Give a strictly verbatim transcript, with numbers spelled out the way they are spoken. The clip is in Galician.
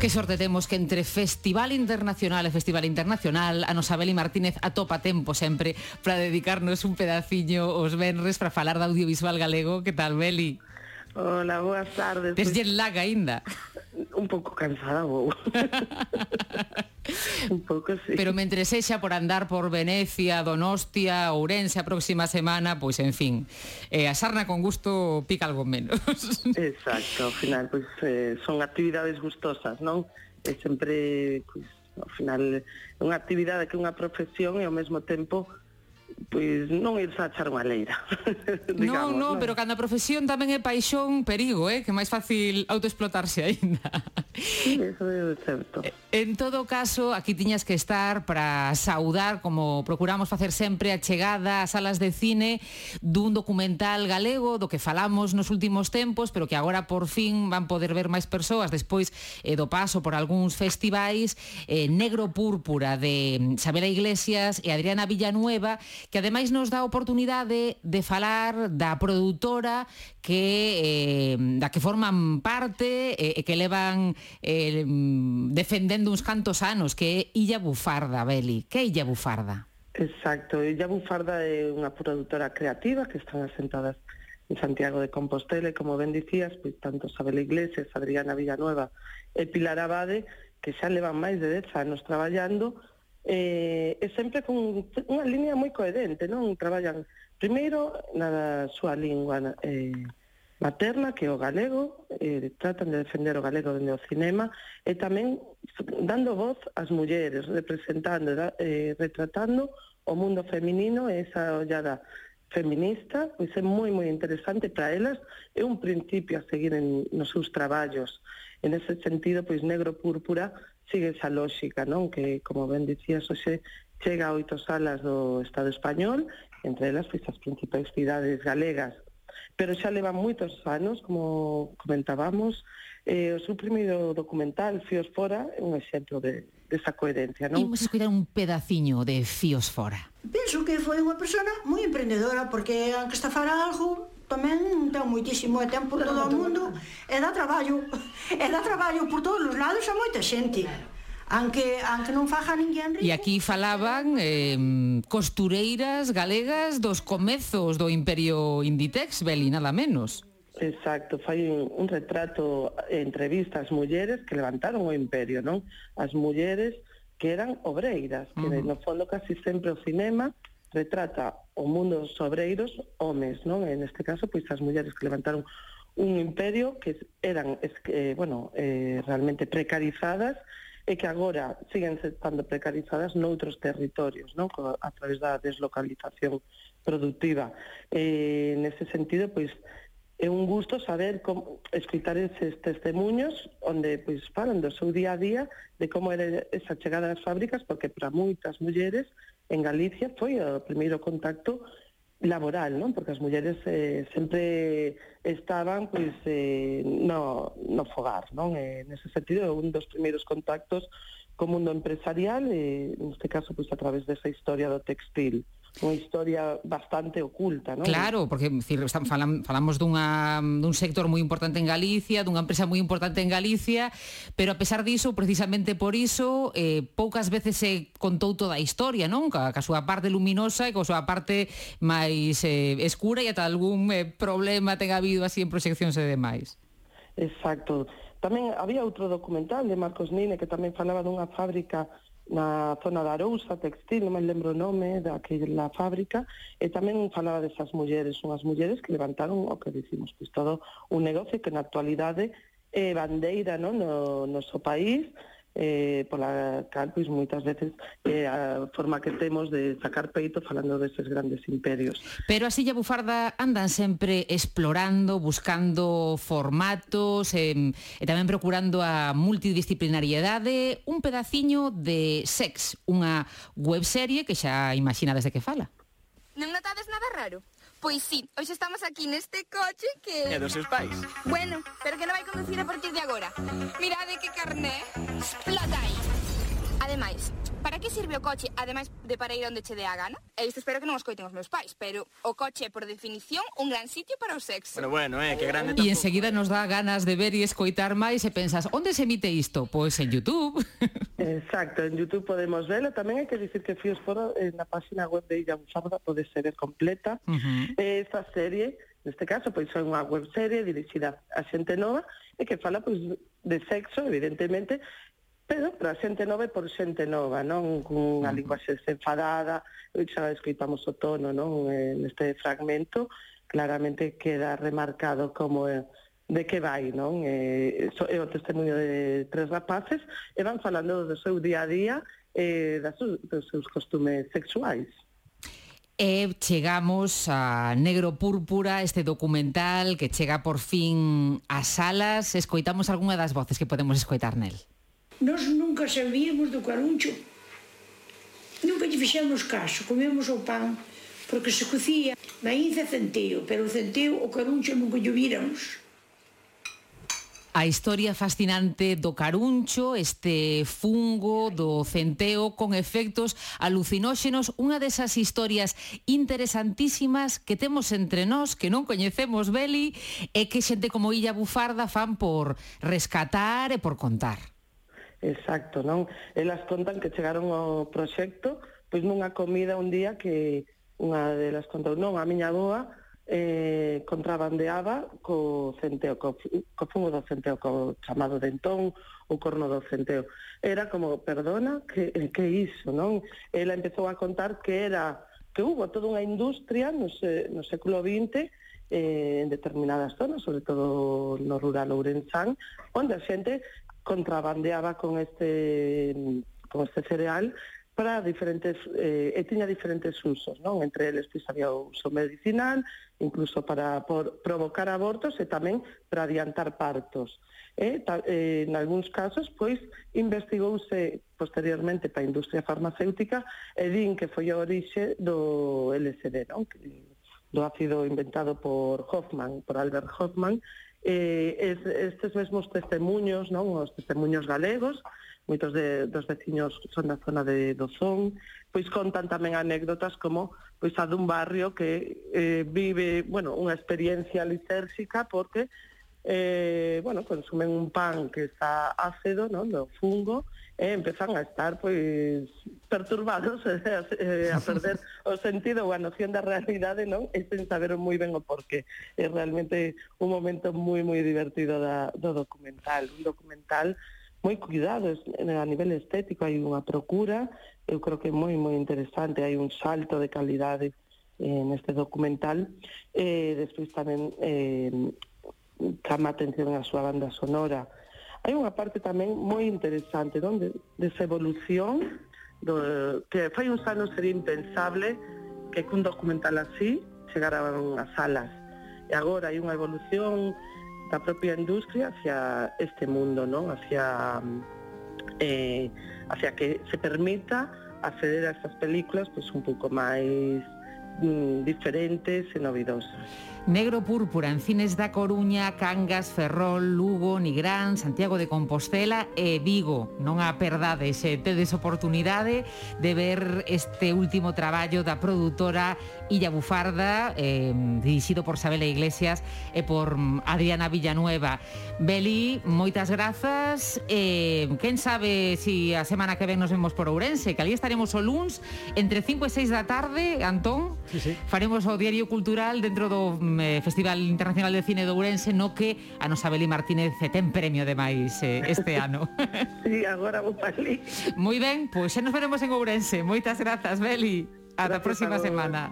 Que sorte temos que entre Festival Internacional e Festival Internacional a nosa Beli Martínez atopa tempo sempre para dedicarnos un pedaciño os venres para falar de audiovisual galego. Que tal, Beli? Hola, boas tardes. Tes jet lag aínda? Un pouco cansada, vou. Un pouco, sí. Pero mentre sexa por andar por Venecia, Donostia, Ourense a próxima semana, pois, en fin, eh, a sarna con gusto pica algo menos. Exacto, ao final, pois, eh, son actividades gustosas, non? E sempre, pois, ao final, é unha actividade que é unha profesión e ao mesmo tempo pois non irse a echar unha leira. Non, non, pero cando a profesión tamén é paixón, perigo, eh? Que é máis fácil autoexplotarse aínda. Sí, eso é certo. En todo caso, aquí tiñas que estar para saudar, como procuramos facer sempre, a chegada ás salas de cine dun documental galego do que falamos nos últimos tempos, pero que agora por fin van poder ver máis persoas despois eh, do paso por algúns festivais, eh, Negro Púrpura de Xabela Iglesias e Adriana Villanueva, que ademais nos dá a oportunidade de falar da produtora que eh, da que forman parte e eh, que levan eh, defendendo uns cantos anos, que é Illa Bufarda, Beli. Que é Illa Bufarda? Exacto, Illa Bufarda é unha produtora creativa que están asentadas en Santiago de Compostela e, como ben dicías, pois tanto Xabela Iglesias, Adriana Villanueva e Pilar Abade, que xa levan máis de dez anos traballando, eh, e sempre con unha línea moi coherente, non? Traballan primeiro na súa lingua eh, materna, que é o galego, eh, tratan de defender o galego dende o cinema, e tamén dando voz ás mulleres, representando, eh, retratando o mundo feminino e esa ollada feminista, pois é moi, moi interesante para elas, é un principio a seguir en, nos seus traballos. En ese sentido, pois Negro Púrpura sigue esa lógica, non? Que, como ben dicías, hoxe chega a oito salas do Estado español, entre elas, pois, as principais cidades galegas, pero xa levan moitos anos, como comentábamos. Eh, o seu primeiro documental, Fíos Fora, é un exemplo de, desa coherencia, non? Imos escoitar un pedaciño de Fíos Fora. Penso que foi unha persona moi emprendedora, porque aunque está fara algo, tamén ten moitísimo de tempo por todo o mundo, e dá traballo, e dá traballo por todos os lados a moita xente. Aunque, aunque non faja ninguén rico. E aquí falaban eh, costureiras galegas dos comezos do Imperio Inditex, Beli, nada menos. Exacto, fai un, un retrato, entrevista ás mulleres que levantaron o imperio, non? As mulleres que eran obreiras, que uh-huh. no fondo casi sempre o cinema retrata o mundo dos obreiros homes, non? En este caso, pois as mulleres que levantaron un imperio que eran, eh, bueno, eh, realmente precarizadas e que agora siguen estando precarizadas noutros territorios, non? A través da deslocalización productiva. Eh, nese sentido, pois, é un gusto saber como escritar eses testemunhos onde pois falan do seu día a día, de como era esa chegada ás fábricas, porque para moitas mulleres en Galicia foi o primeiro contacto laboral, non? Porque as mulleres eh, sempre estaban pois eh, no, no fogar, non? E nese sentido é un dos primeiros contactos co mundo empresarial, e neste caso pois a través desa historia do textil, unha historia bastante oculta, non? Claro, porque decir, falan, falamos dunha, dun sector moi importante en Galicia, dunha empresa moi importante en Galicia, pero a pesar diso, precisamente por iso, eh, poucas veces se contou toda a historia, non? Ca, ca súa parte luminosa e ca súa parte máis eh, escura, e ata algún eh, problema ten habido así en proxeccións e demais. Exacto. Tamén había outro documental de Marcos Nine que tamén falaba dunha fábrica na zona da Arousa, textil, non me lembro o nome daquela fábrica, e tamén falaba desas mulleres, unhas mulleres que levantaron o que dicimos, pois todo un negocio que na actualidade é bandeira, non, no noso país, eh, pola cal, pois moitas veces eh, a forma que temos de sacar peito falando deses grandes imperios. Pero as Illa Bufarda andan sempre explorando, buscando formatos e, e tamén procurando a multidisciplinariedade. Un pedaciño de Sex, unha webserie que xa imaginades de que fala. Non notades nada raro? Pois sí, hoxe estamos aquí neste coche que... É dos seus pais. Bueno, pero que non vai conducir a partir de agora. Mirade que carné. Explota aí. Ademais, para que que sirve o coche, ademais de para ir onde che dé a gana? E isto espero que non os coiten os meus pais, pero o coche é, por definición, un gran sitio para o sexo. Bueno, bueno, eh, que grande. E enseguida nos dá ganas de ver e escoitar máis e pensas, onde se emite isto? Pois en YouTube. Exacto, en YouTube podemos verlo. Tamén hai que dicir que Fíos Foro, en na página web de Illa Bufarda, pode ser completa. Uh-huh. Esta serie, neste caso, pois é unha webserie dirixida a xente nova e que fala pois de sexo, evidentemente, pero para xente nova e por xente nova, non? Con unha linguaxe desenfadada, xa escoitamos o tono, non? Neste fragmento, claramente queda remarcado como é, de que vai, non? É, é o testemunho de tres rapaces e van falando do seu día a día e das, dos seus costumes sexuais. E chegamos a Negro Púrpura, este documental que chega por fin ás salas. Escoitamos algunha das voces que podemos escoitar nel. Nós nunca sabíamos do caruncho. Nunca lle fixemos caso. Comemos o pan porque se cocía maíz e centeo, pero o centeo, o caruncho nunca lle víramos. A historia fascinante do caruncho, este fungo do centeo con efectos alucinóxenos, unha desas historias interesantísimas que temos entre nós, que non coñecemos, Beli, e que xente como Illa Bufarda fan por rescatar e por contar. Exacto, non? Elas contan que chegaron ao proxecto pois nunha comida un día que unha delas contou, non, a miña avoa eh, contrabandeaba co centeo, co, co fungo do centeo, co chamado dentón, o corno do centeo. Era como, perdona, que, que iso, non? Ela empezou a contar que era que hubo toda unha industria no, se, no século vinte eh, en determinadas zonas, sobre todo no rural ourensán, onde a xente contrabandeaba con este con este cereal para diferentes eh, e tiña diferentes usos, non? Entre eles pois había o uso medicinal, incluso para por, provocar abortos e tamén para adiantar partos. E ta, eh, en algúns casos pois investigouse posteriormente para a industria farmacéutica e din que foi a orixe do L S D, non? Do ácido inventado por Hoffman, por Albert Hoffman. Eh, es, estes mesmos testemuños, non? Os testemuños galegos, moitos de, dos veciños son da zona de Dozón, pois contan tamén anécdotas como pois a dun barrio que eh, vive, bueno, unha experiencia lisérxica porque eh, bueno, consumen un pan que está ácido, non? Do fungo, e empezan a estar pois perturbados eh, a perder o sentido ou a noción da realidade, non? E sen saber moi ben o porqué. É realmente un momento moi moi divertido da, do documental, un documental moi cuidado a nivel estético, hai unha procura, eu creo que é moi moi interesante, hai un salto de calidade eh, neste documental, e eh, despois tamén eh, chama atención a súa banda sonora. Hai unha parte tamén moi interesante, non? De, desa evolución do, que fai uns anos sería impensable que un documental así chegara ás salas, e agora hai unha evolución da propia industria hacia este mundo, non? Hacia eh, hacia que se permita acceder a estas películas pois un pouco máis mm, diferentes e novidosas. Negro Púrpura en cines da Coruña, Cangas, Ferrol, Lugo, Nigrán, Santiago de Compostela e Vigo. Non a perdades, se tedes oportunidade de ver este último traballo da produtora Illa Bufarda, eh, dirixido por Sabela Iglesias e por Adriana Villanueva. Beli, moitas grazas. Eh, quen sabe si a semana que ven nos vemos por Ourense, que ali estaremos o luns entre cinco e seis da tarde, Antón. Sí, sí. Faremos o Diario Cultural dentro do eh, Festival Internacional de Cine de Ourense, no que a nosa Beli Martínez ten premio de máis eh, este ano. Sí, agora vou para ali. Moi ben, pois xa nos veremos en Ourense. Moitas grazas, Beli. Ata a próxima semana.